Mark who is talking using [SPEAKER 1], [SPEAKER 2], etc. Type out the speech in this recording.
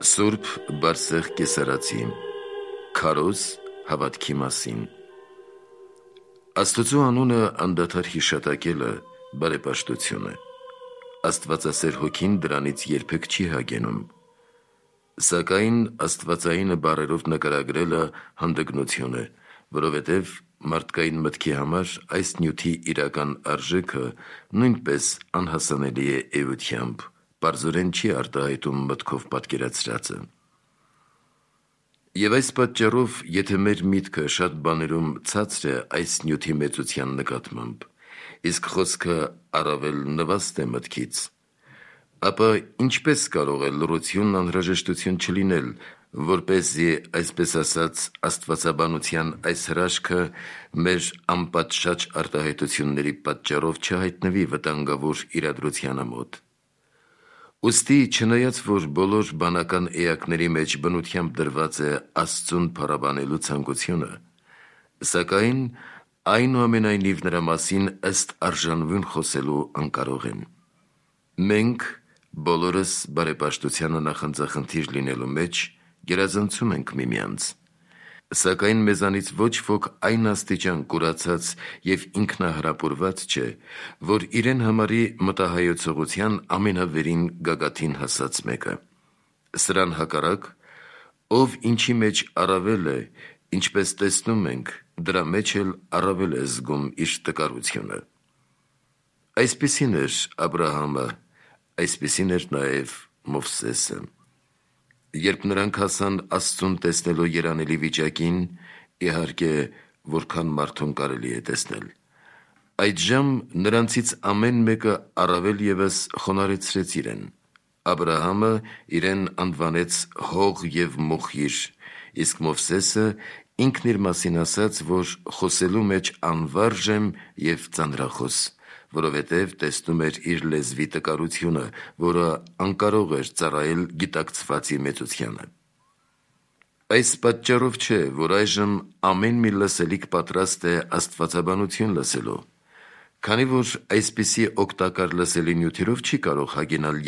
[SPEAKER 1] Սուրբ Բարսեղ Կեսարացի Քարոզ հավատքի մասին Աստծո անունը անդադար հիշատակելը բարեպաշտություն է։ Աստվածասեր հոգին դրանից երբեք չի հագենում, սակայն աստվածայինը բառերով նկարագրելը հանդգնություն է, որովհետև մարդկային մտքի համար այս նյութի իրական արժեքը նույնպես անհասանելի է էությամբ, պարզորեն չի արտահայտում մտքով պատկերացրածը։ Եվ այս պատճառով, եթե մեր միտքը շատ բաներում ցածր է այս նյութի մեծության նկատմամբ, իսկ խոսքը առավել նվաստ է մտքից, ապա ինչպես կարող է լռությունն անհրաժեշտություն չլինել, որպեսզի, այսպես ասած, աստվածաբանության այս հրաշքը մեր անպատշաճ արտահայտությունների պատճառով չհայտնվի վտանգավոր իրադրությանը մոտ։ Ուստի, չնայած որ բոլոր բանական էակների մեջ բնությամբ դրված է Աստծուն փառաբանելու ցանկությունը, սակայն այնուամենայնիվ նրա մասին ըստ արժանվուն խոսելու անկարող են։ Մենք բոլորս բարեպաշտությանը նախանձախնդիր լինելու մեջ գերազանցում ենք միմյանց, սակայն մեզանից ոչ ոք այն աստիճան կուրացած և ինքնահրապուրված չէ, որ իրեն համարի մտահայեցողության ամենավերին գագաթին հասած մեկը։ Սրան հակառակ, ով ինչի մեջ առավել է, ինչպես տեսնում ենք, դրա մեջ էլ առավել է զգում իր տկարությունը։ Այսպիսին էր Աբրահամը, այսպիսին էր նաև Մովսեսը։ Երբ նրանք հասան Աստծուն տեսնելու երանելի վիճակին, իհարկե, որքան մարդուն կարելի է տեսնել, այդժամ նրանցից ամեն մեկը առավել ևս խոնարհեցրեց իրեն։ Աբրահամը իրեն անվանեց հող և մոխիր, իսկ Մովսեսը ինքն իր մասին ասաց, որ խոսելու մեջ անվարժ եմ և ծանրախոս, որովհետև տեսնում էր իր լեզվի տկարությունը, որը անկարող էր ծառայել գիտակցվածի մեծությանը։ Այս պատճառով չէ, որ այժմ ամեն մի լսելիք պատրաստ է աստվածաբանություն լսելու, քանի որ այսպիսի օգտակար լսելի նյութերով չի կարող հագենալ